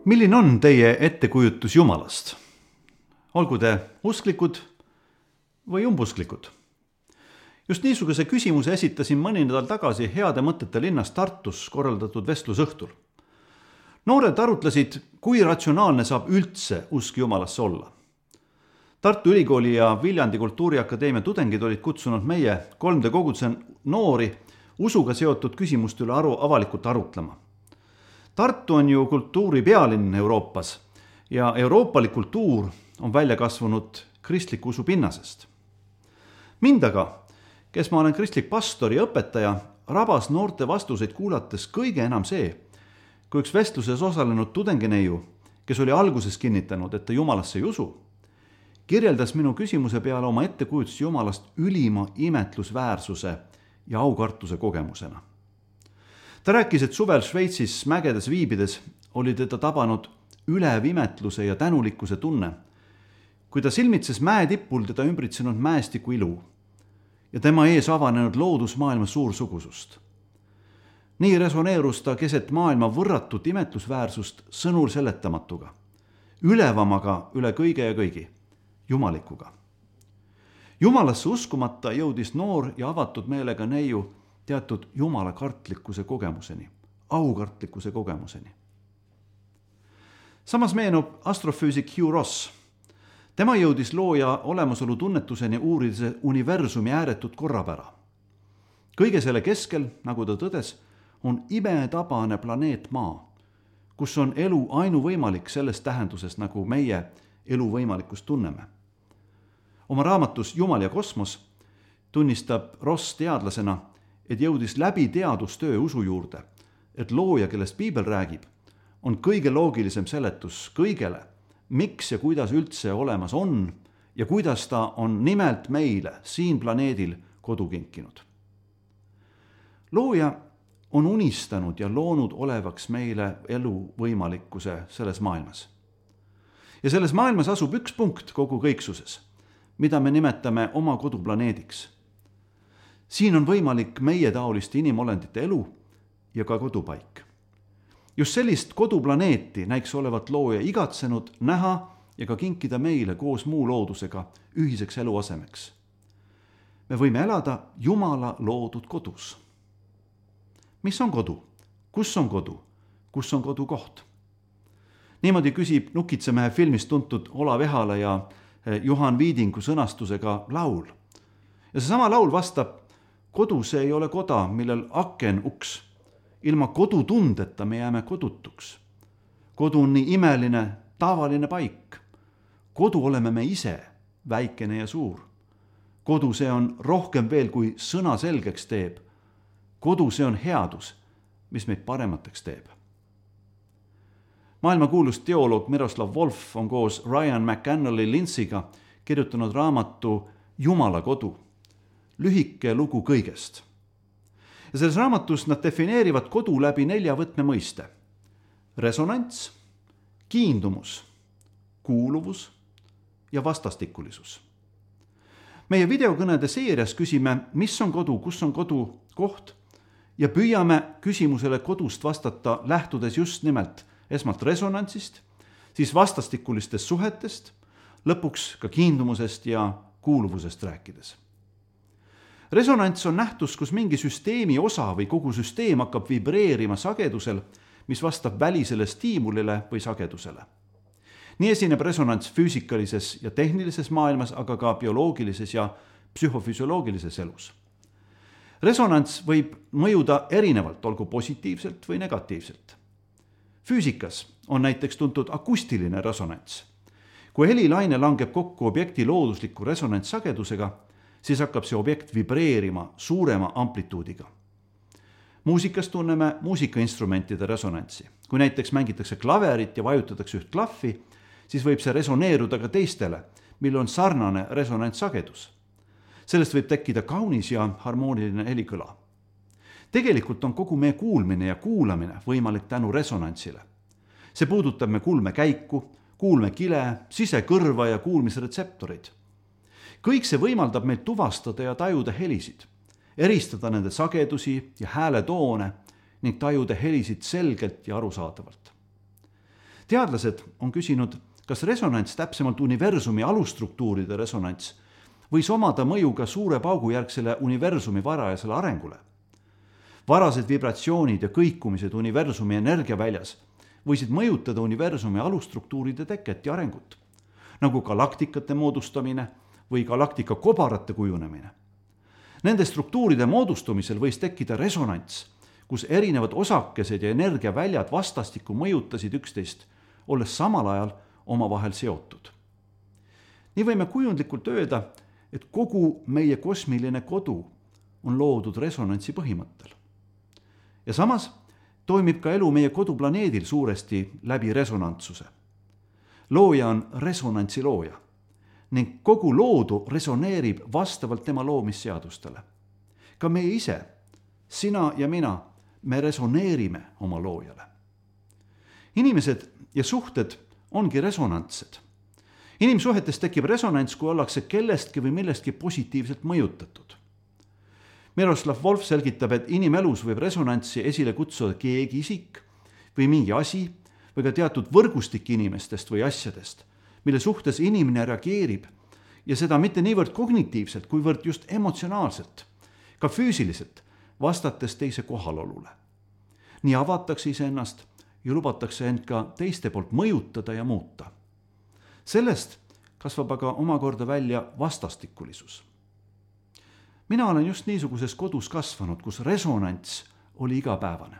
Milline on teie ettekujutus Jumalast? Olgu te usklikud või umbusklikud? Just niisuguse küsimuse esitasin mõni nädal tagasi Heade mõtete linnas Tartus korraldatud vestlusõhtul. Noored arutlesid, kui ratsionaalne saab üldse usk Jumalasse olla. Tartu Ülikooli ja Viljandi Kultuuriakadeemia tudengid olid kutsunud meie 3D koguduse noori usuga seotud küsimuste üle avalikult arutlema. Tartu on ju kultuuri pealinn Euroopas ja euroopalik kultuur on välja kasvanud kristliku usu pinnasest. Mind aga, kes ma olen kristlik pastor ja õpetaja, rabas noorte vastuseid kuulates kõige enam see, kui üks vestluses osalenud tudengineiu, kes oli alguses kinnitanud, et ta Jumalasse ei usu, kirjeldas minu küsimuse peale oma ettekujutust Jumalast ülima imetlusväärsuse ja aukartuse kogemusena. Ta rääkis, et suvel Šveitsis mägedes viibides oli teda tabanud ülev imetluse ja tänulikkuse tunne, kui ta silmitses mäetipul teda ümbritsenud mäestiku ilu ja tema ees avanenud loodusmaailma suursugusust. Nii resoneerus ta keset maailma võrratut imetlusväärsust sõnul seletamatuga, ülevamaga üle kõige ja kõigi, jumalikuga. Jumalasse uskumata jõudis noor ja avatud meelega neiu teatud Jumala kartlikkuse kogemuseni, aukartlikkuse kogemuseni. Samas meenub astrofüüsik Hugh Ross. Tema jõudis looja olemasolu tunnetuseni uurides universumi ääretut korrapära. Kõige selle keskel, nagu ta tõdes, on imetabane planeet Maa, kus on elu ainuvõimalik selles tähenduses, nagu meie elu võimalikkust tunneme. Oma raamatus Jumal ja kosmos tunnistab Ross teadlasena, et jõudis läbi teadustöö usu juurde, et looja, kellest Piibel räägib, on kõige loogilisem seletus kõigele, miks ja kuidas üldse olemas on ja kuidas ta on nimelt meile siin planeedil kodu kinkinud. Looja on unistanud ja loonud olevaks meile elu võimalikkuse selles maailmas. Ja selles maailmas asub üks punkt kogu kõiksuses, mida me nimetame oma koduplaneediks. Siin on võimalik meie taoliste inimolendite elu ja ka kodupaik. Just sellist koduplaneeti näiks olevat looja igatsenud näha ja ka kinkida meile koos muu loodusega ühiseks eluasemeks. Me võime elada Jumala loodud kodus. Mis on kodu? Kus on kodu? Kus on kodukoht? Niimoodi küsib Nukitsemehe filmist tuntud Olav Ehala ja Juhan Viidingu sõnastusega laul. Ja seesama laul vastab: kodu see ei ole koda, millel aken uks. Ilma kodutundeta me jääme kodutuks. Kodu on nii imeline, tavaline paik. Kodu oleme me ise, väikene ja suur. Kodu see on rohkem veel, kui sõna selgeks teeb. Kodu see on headus, mis meid paremateks teeb. Maailmakuulus teoloog Miroslav Volf on koos Ryan McAnally Lindsayga kirjutanud raamatu Jumala kodu. Lühike lugu kõigest. Ja selles raamatus nad defineerivad kodu läbi 4 võtmemõiste. Resonants, kiindumus, kuuluvus ja vastastikulisus. Meie videokõnede seerias küsime, mis on kodu, kus on kodu koht ja püüame küsimusele kodust vastata lähtudes just nimelt esmalt resonantsist, siis vastastikulistest suhetest, lõpuks ka kiindumusest ja kuuluvusest rääkides. Resonants on nähtus, kus mingi süsteemi osa või kogu süsteem hakkab vibreerima sagedusel, mis vastab välisele stiimulile või sagedusele. Nii esineb resonants füüsikalises ja tehnilises maailmas, aga ka bioloogilises ja psühhofüsioloogilises elus. Resonants võib mõjuda erinevalt, olgu positiivselt või negatiivselt. Füüsikas on näiteks tuntud akustiline resonants. Kui helilaine langeb kokku objekti loodusliku resonantssagedusega, siis hakkab see objekt vibreerima suurema amplituudiga. Muusikas tunneme muusikainstrumentide resonantsi. Kui näiteks mängitakse klaverit ja vajutatakse üht klahvi, siis võib see resoneeruda ka teistele, mille on sarnane resonantssagedus. Sellest võib tekkida kaunis ja harmooniline helikõla. Tegelikult on kogu meie kuulmine ja kuulamine võimalik tänu resonantsile. See puudutab me kuulmekäiku, kuulmekile, sisekõrva ja kuulmisretseptorid. Kõik see võimaldab meil tuvastada ja tajuda helisid, eristada nende sagedusi ja hääletoone ning tajuda helisid selgelt ja arusaadavalt. teadlased on küsinud, kas resonants, täpsemalt universumi alusstruktuuride resonants, võis omada mõju ka suure paugujärgsele universumi varajasele arengule. Varased vibratsioonid ja kõikumised universumi energiaväljas võisid mõjutada universumi alusstruktuuride teket ja arengut, nagu galaktikate moodustamine või galaktika kobarate kujunemine. Nende struktuuride moodustumisel võis tekkida resonants, kus erinevad osakesed ja energiaväljad vastastikku mõjutasid üksteist, olles samal ajal omavahel seotud. Nii võime kujundlikult öelda, et kogu meie kosmiline kodu on loodud resonantsi põhimõttel. Ja samas toimib ka elu meie koduplaneedil suuresti läbi resonantsuse. Looja on resonantsi looja ning kogu loodu resoneerib vastavalt tema loomisseadustele. Ka meie ise, sina ja mina, me resoneerime oma loojale. Inimesed ja suhted ongi resonantsed. Inimsuhetes tekib resonants, kui ollakse kellestki või millestki positiivselt mõjutatud. Miroslav Volf selgitab, et inimelus võib resonantsi esile kutsuda keegi isik või mingi asi või ka teatud võrgustik inimestest või asjadest, mille suhtes inimene reageerib ja seda mitte niivõrd kognitiivselt, kuivõrd just emotsionaalselt, ka füüsiliselt, vastates teise kohalolule. Nii avatakse iseennast ja lubatakse end ka teiste poolt mõjutada ja muuta. Sellest kasvab aga omakorda välja vastastikulisus. Mina olen just niisuguses kodus kasvanud, kus resonants oli igapäevane.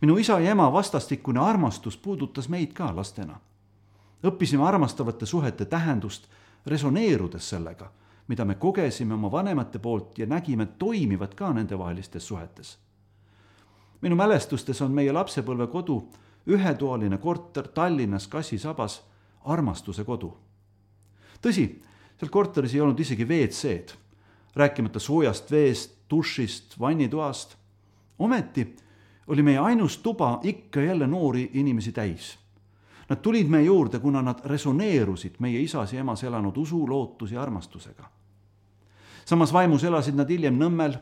Minu isa ja ema vastastikune armastus puudutas meid ka lastena. Õppisime armastavate suhete tähendust, resoneerudes sellega, mida me kogesime oma vanemate poolt ja nägime toimivat ka nendevahelistes suhetes. Minu mälestustes on meie lapsepõlve kodu ühetoaline korter Tallinnas Kassi-Sabas armastuse kodu. Tõsi, seal korteris ei olnud isegi WC-d, rääkimata soojast veest, dušist, vannitoast. Ometi oli meie ainus tuba ikka jälle noori inimesi täis. Nad tulid meie juurde, kuna nad resoneerusid meie isas ja emas elanud usu, lootus ja armastusega. Samas vaimus elasid nad hiljem Nõmmel,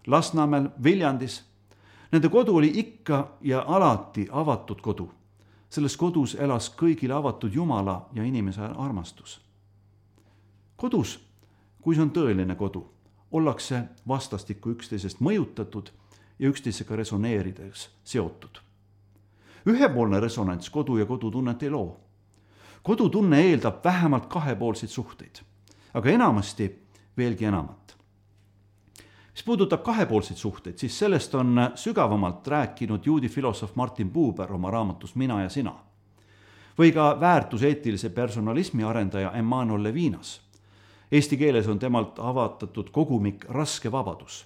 Lasnamäel, Viljandis. Nende kodu oli ikka ja alati avatud kodu. Selles kodus elas kõigile avatud Jumala ja inimese armastus. Kodus, kui see on tõeline kodu, ollakse vastastikku üksteisest mõjutatud ja üksteisega resoneerides seotud. Ühepoolne resonants kodu ja kodutunnet ei loo. Kodutunne eeldab vähemalt kahepoolseid suhteid, aga enamasti veelgi enamat. Mis puudutab kahepoolseid suhteid, siis sellest on sügavamalt rääkinud juudi filosoof Martin Buber oma raamatus Mina ja sina. Või ka väärtuseetilise personalismi arendaja Emmanuel Levinas. Eesti keeles on temalt avatatud kogumik Raske vabadus.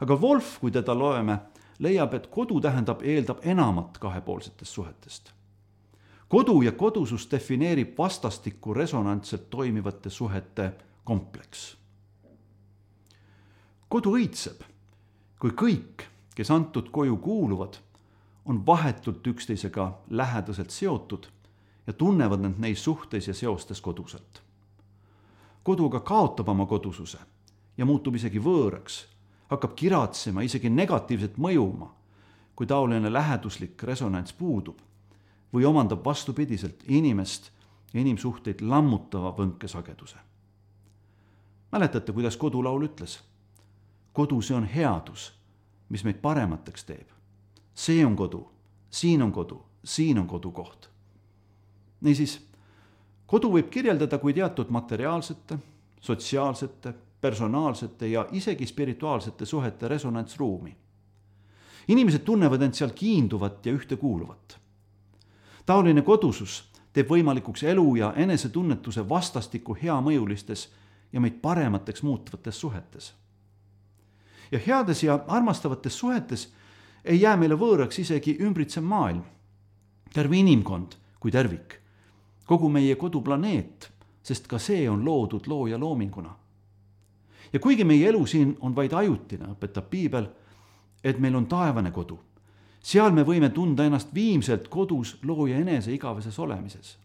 Aga Volf, kui teda loeme, leiab, et kodu eeldab enamat kahepoolsetest suhetest. Kodu ja kodusus defineerib vastastikku resonantselt toimivate suhete kompleks. Kodu õitseb, kui kõik, kes antud koju kuuluvad, on vahetult üksteisega lähedaselt seotud ja tunnevad end neis suhtes ja seostes koduselt. Koduga kaotab oma kodususe ja muutub isegi võõraks, hakkab kiratsema, isegi negatiivselt mõjuma, kui taoline läheduslik resonants puudub või omandab vastupidiselt inimest ja inimsuhteid lammutava võnkesageduse. Mäletate, kuidas kodulaul ütles? Kodu, see on headus, mis meid paremateks teeb. See on kodu, siin on kodu, siin on kodukoht. Niisiis, kodu võib kirjeldada kui teatud materiaalsete, sotsiaalsete, personaalsete ja isegi spirituaalsete suhete resonantsruumi. Inimesed tunnevad end seal kiinduvat ja ühtekuuluvat. Taoline kodusus teeb võimalikuks elu ja enesetunnetuse vastastikku heamõjulistes ja meid paremateks muutvates suhetes. Ja heades ja armastavates suhetes ei jää meile võõraks isegi ümbritsev maailm, terve inimkond kui tervik, kogu meie koduplaneet, sest ka see on loodud looja loominguna. Ja kuigi meie elu siin on vaid ajutine, õpetab piibel, et meil on taevane kodu. Seal me võime tunda ennast viimselt kodus looja enese igaveses olemises.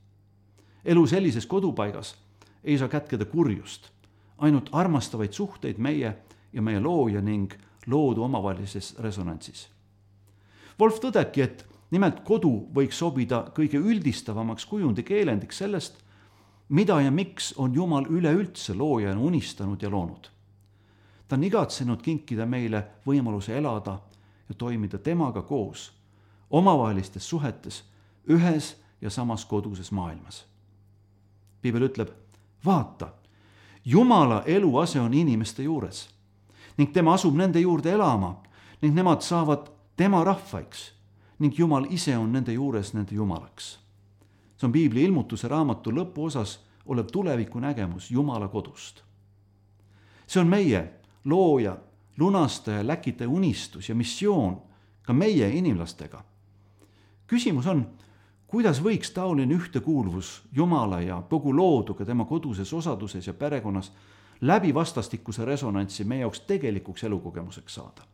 Elu sellises kodupaigas ei saa kätkeda kurjust, ainult armastavaid suhteid meie ja meie looja ning loodu omavahelises resonantsis. Volf tõdebki, et nimelt kodu võiks sobida kõige üldistavamaks kujundikeelendiks sellest, mida ja miks on Jumal üleüldse loojana unistanud ja loonud. Ta on igatsenud kinkida meile võimaluse elada ja toimida temaga koos, omavahelistes suhetes, ühes ja samas koduses maailmas. Piibel ütleb, vaata, Jumala eluase on inimeste juures ning tema asub nende juurde elama ning nemad saavad tema rahvaiks ning Jumal ise on nende juures nende Jumalaks. See on Piibli ilmutuse raamatu lõpuosas olev tuleviku nägemus Jumala kodust. See on meie looja, lunastaja, läkitaja unistus ja missioon ka meie inimlastega. Küsimus on, kuidas võiks taoline ühtekuuluvus Jumala ja kogu looduga tema koduses osaduses ja perekonnas läbi vastastikuse resonantsi meie jaoks tegelikuks elukogemuseks saada.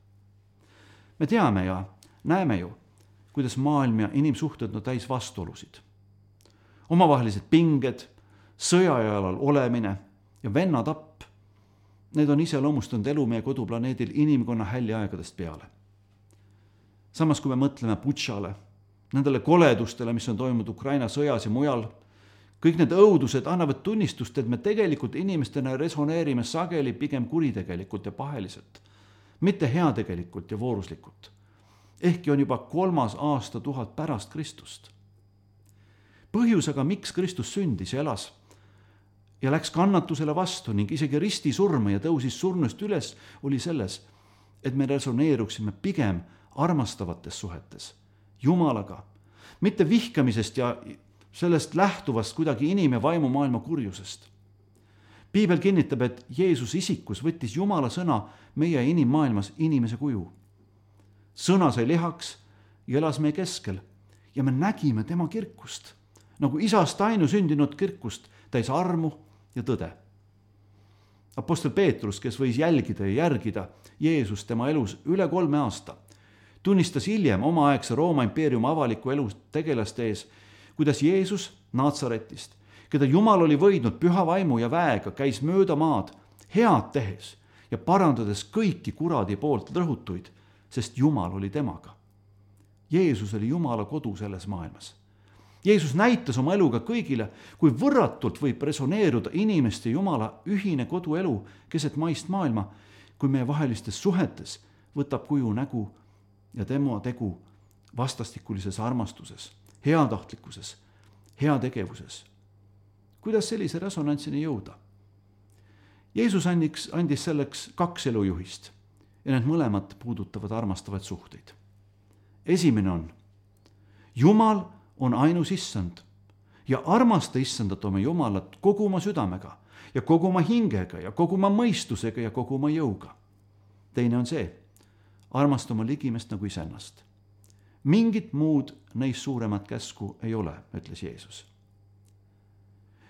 Me teame ja näeme ju, kuidas maailm ja inimsuhted on täis vastuolusid. Omavahelised pinged, sõjajalal olemine ja vennatapp, need on iseloomustanud elu meie koduplaneedil inimkonna häljeaegadest peale. Samas, kui me mõtleme Butšale, nendele koledustele, mis on toimunud Ukraina sõjas ja mujal, kõik need õudused annavad tunnistust, et me tegelikult inimestena resoneerime sageli pigem kuritegelikult ja paheliselt, mitte heategelikult ja vooruslikult. Ehkki on juba 3. aastatuhat pärast Kristust. Põhjus aga, miks Kristus sündis ja elas ja läks kannatusele vastu ning isegi risti surma ja tõusis surnust üles, oli selles, et me resoneeruksime pigem armastavates suhetes Jumalaga, mitte vihkamisest ja sellest lähtuvast kuidagi inim- ja vaimumaailma kurjusest. Piibel kinnitab, et Jeesus isikus võttis Jumala sõna meie inimmaailmas inimese kuju. Sõna sai lihaks ja elas meie keskel ja me nägime tema kirkust, nagu isast ainusündinud kirkust, täis armu ja tõde. Apostel Peetrus, kes võis jälgida ja järgida Jeesus tema elus üle 3 aasta, tunnistas hiljem omaaegse Rooma impeeriumi avaliku elu tegelaste ees, kuidas Jeesus Naatsaretist, keda Jumal oli võidnud püha vaimu ja väega, käis mööda maad head tehes ja parandades kõiki kuradi poolt rõhutuid, sest Jumal oli temaga. Jeesus oli Jumala kodu selles maailmas. Jeesus näitas oma eluga kõigile, kui võrratult võib resoneeruda inimeste Jumala ühine koduelu keset maist maailma, kui meie vahelistes suhetes võtab kuju nägu ja tema tegu vastastikulises armastuses, heatahtlikkuses, heategevuses. Kuidas sellise resonantsini jõuda? Jeesus andis selleks 2 elujuhist ja need mõlemad puudutavad armastavaid suhteid. Esimene on, Jumal on ainus issand ja armasta issandat oma Jumalat kogu oma südamega ja kogu oma hingega ja kogu oma mõistusega ja kogu oma jõuga. Teine on see, armasta oma ligimest nagu iseennast. Mingit muud neist suuremat käsku ei ole, ütles Jeesus.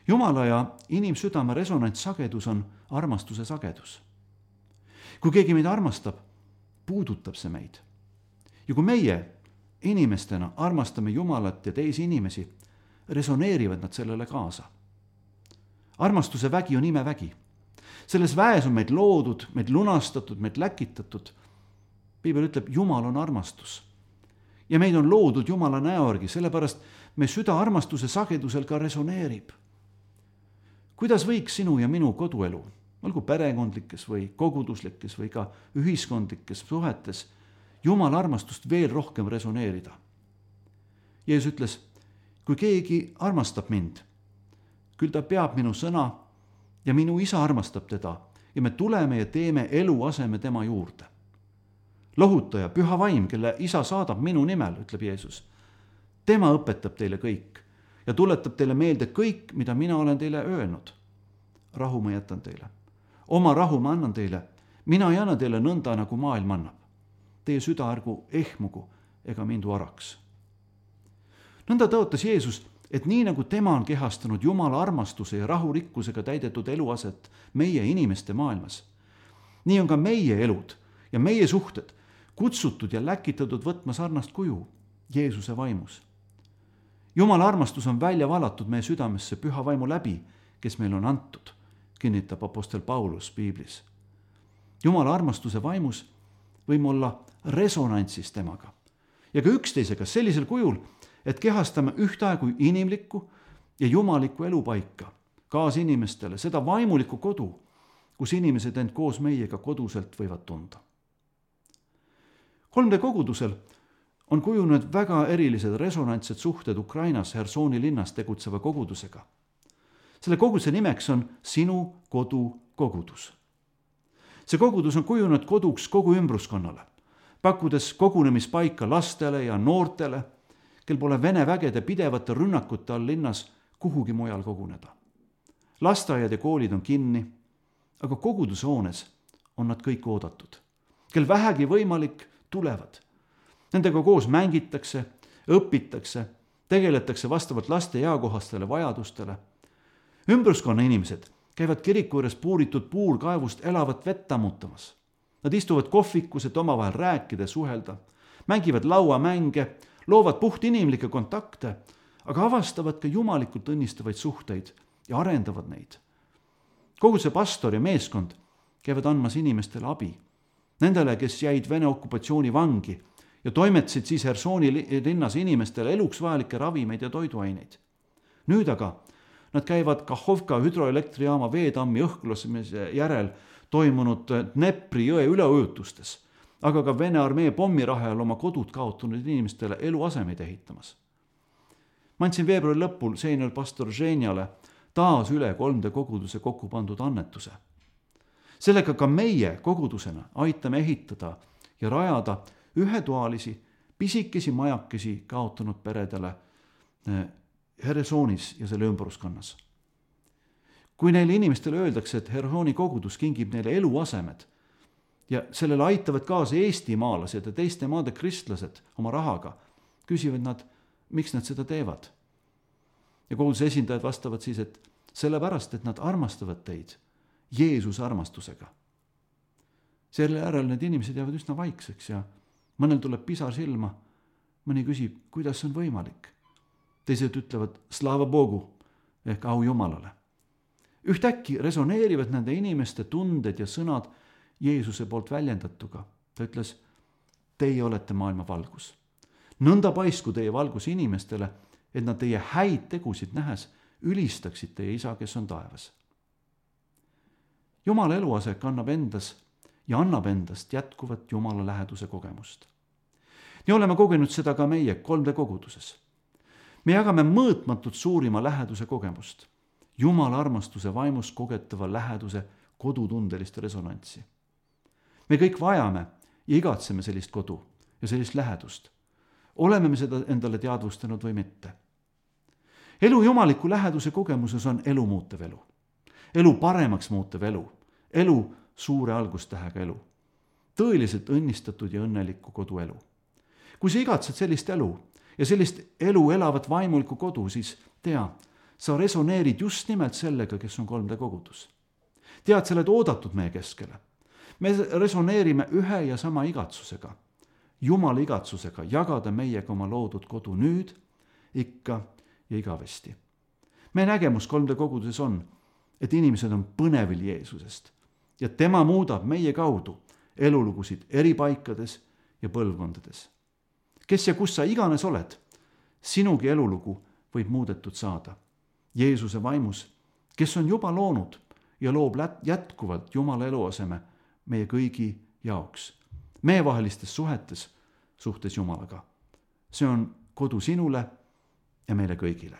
Jumala ja inimsüdame resonantssagedus on armastuse sagedus. Kui keegi meid armastab, puudutab see meid. Ja kui meie inimestena armastame Jumalat ja teisi inimesi, resoneerivad nad sellele kaasa. Armastuse vägi on imevägi. Selles väes on meid loodud, meid lunastatud, meid läkitatud. Piibel ütleb, Jumal on armastus. Ja meid on loodud Jumala näorgi, sellepärast me süda armastuse sagedusel ka resoneerib. Kuidas võiks sinu ja minu koduelu, olgu perekondlikes või koguduslikes või ka ühiskondlikes suhetes, Jumala armastust veel rohkem resoneerida? Jeesus ütles, kui keegi armastab mind, küll ta peab minu sõna ja minu isa armastab teda ja me tuleme ja teeme eluaseme tema juurde. Lohutaja, püha vaim, kelle isa saadab minu nimel, ütleb Jeesus. Tema õpetab teile kõik ja tuletab teile meelde kõik, mida mina olen teile öelnud. Rahu ma jätan teile. Oma rahu ma annan teile. Mina ei anna teile nõnda, nagu maailm annab. Teie süda ärgu ehmugu ega mindu araks. Nõnda tõotas Jeesus, et nii nagu tema on kehastanud Jumala armastuse ja rahurikkusega täidetud eluaset meie inimeste maailmas, nii on ka meie elud ja meie suhted kutsutud ja läkitatud võtma sarnast kuju Jeesuse vaimus. Jumala armastus on välja valatud meie südamesse püha vaimu läbi, kes meil on antud, kinnitab apostel Paulus Piiblis. Jumala armastuse vaimus võime olla resonantsis temaga ja ka üksteisega sellisel kujul, et kehastame ühtaegu inimlikku ja jumalikku elupaika, kaasinimestele, seda vaimulikku kodu, kus inimesed end koos meiega koduselt võivad tunda. 3D kogudusel on kujunenud väga erilised resonantsed suhted Ukrainas Hersoni linnas tegutseva kogudusega. Selle koguduse nimeks on Sinu Kodu kogudus. See kogudus on kujunenud koduks kogu ümbruskonnale, pakkudes kogunemispaika lastele ja noortele, kel pole Vene vägede pidevate rünnakute all linnas kuhugi mujal koguneda. Lasteaiad ja koolid on kinni, aga kogudusehoones on nad kõik oodatud. Kel vähegi võimalik, tulevad. Nendega koos mängitakse, õpitakse, tegeletakse vastavalt laste eakohastele vajadustele. Ümbruskonna inimesed käivad kiriku juures puuritud puurkaevust elavat vett ammutamas. Nad istuvad kohvikus, et omavahel rääkida ja suhelda, mängivad lauamänge, loovad puhtinimlikke kontakte, aga avastavad ka jumalikult õnnistavaid suhteid ja arendavad neid. Kogu see pastor ja meeskond käivad andmas inimestele abi. Nendele, kes jäid Vene okupatsiooni vangi ja toimetasid siis Hersoni linnas inimestele eluks vajalikke ravimeid ja toiduaineid. Nüüd aga nad käivad Kahhovka hüdroelektrijaama veetammi õhklasemise järel toimunud Dnepri jõe üleujutustes, aga ka Vene armee pommirahel oma kodud kaotanud inimestele eluasemeid ehitamas. Ma andsin veebruari lõpul seenel pastor Ženjale taas üle 3D koguduse kokku pandud annetuse. Sellega ka meie kogudusena aitame ehitada ja rajada ühetoalisi, pisikesi majakesi kaotanud peredele Hersonis ja selle ümbruskonnas. Kui neile inimestele öeldakse, et Hersoni kogudus kingib neile eluasemed ja sellele aitavad kaasa eestimaalased ja teiste maade kristlased oma rahaga, küsivad nad, miks nad seda teevad. Ja koguduse esindajad vastavad siis, et sellepärast, et nad armastavad teid Jeesuse armastusega. Selle järel need inimesed jäävad üsna vaikseks ja mõnel tuleb pisar silma, mõni küsib, kuidas see on võimalik. Teised ütlevad slava Bogu ehk au Jumalale. Ühtäkki resoneerivad nende inimeste tunded ja sõnad Jeesuse poolt väljendatuga. Ta ütles, teie olete maailma valgus. Nõnda paisku teie valgus inimestele, et nad teie häid tegusid nähes ülistaksid teie isa, kes on taevas. Jumala eluase kannab endas ja annab endast jätkuvat Jumala läheduse kogemust. Nii oleme kogenud seda ka meie 3D koguduses. Me jagame mõõtmatult suurima läheduse kogemust, Jumala armastuse vaimus kogetava läheduse kodutundelist resonantsi. Me kõik vajame ja igatseme sellist kodu ja sellist lähedust. Oleme me seda endale teadvustanud või mitte. Elu jumaliku läheduse kogemuses on elu muutev elu. Elu paremaks muutev elu. Elu suure algustähega elu. Tõeliselt õnnistatud ja õnnelikku koduelu. Kui sa igatsed sellist elu ja sellist elu elavat vaimulikku kodu, siis tea, sa resoneerid just nimelt sellega, kes on 3D kogudus. Tead, sa oled oodatud meie keskele. Me resoneerime ühe ja sama igatsusega, Jumala igatsusega jagada meiega oma loodud kodu nüüd, ikka ja igavesti. Meie nägemus 3D koguduses on, et inimesed on põnevil Jeesusest ja tema muudab meie kaudu elulugusid eri paikades ja põlvkondades. Kes ja kus sa iganes oled, sinugi elulugu võib muudetud saada. Jeesuse vaimus, kes on juba loonud ja loob jätkuvalt Jumala eluaseme meie kõigi jaoks, meievahelistes suhtes Jumalaga. See on kodu sinule ja meile kõigile.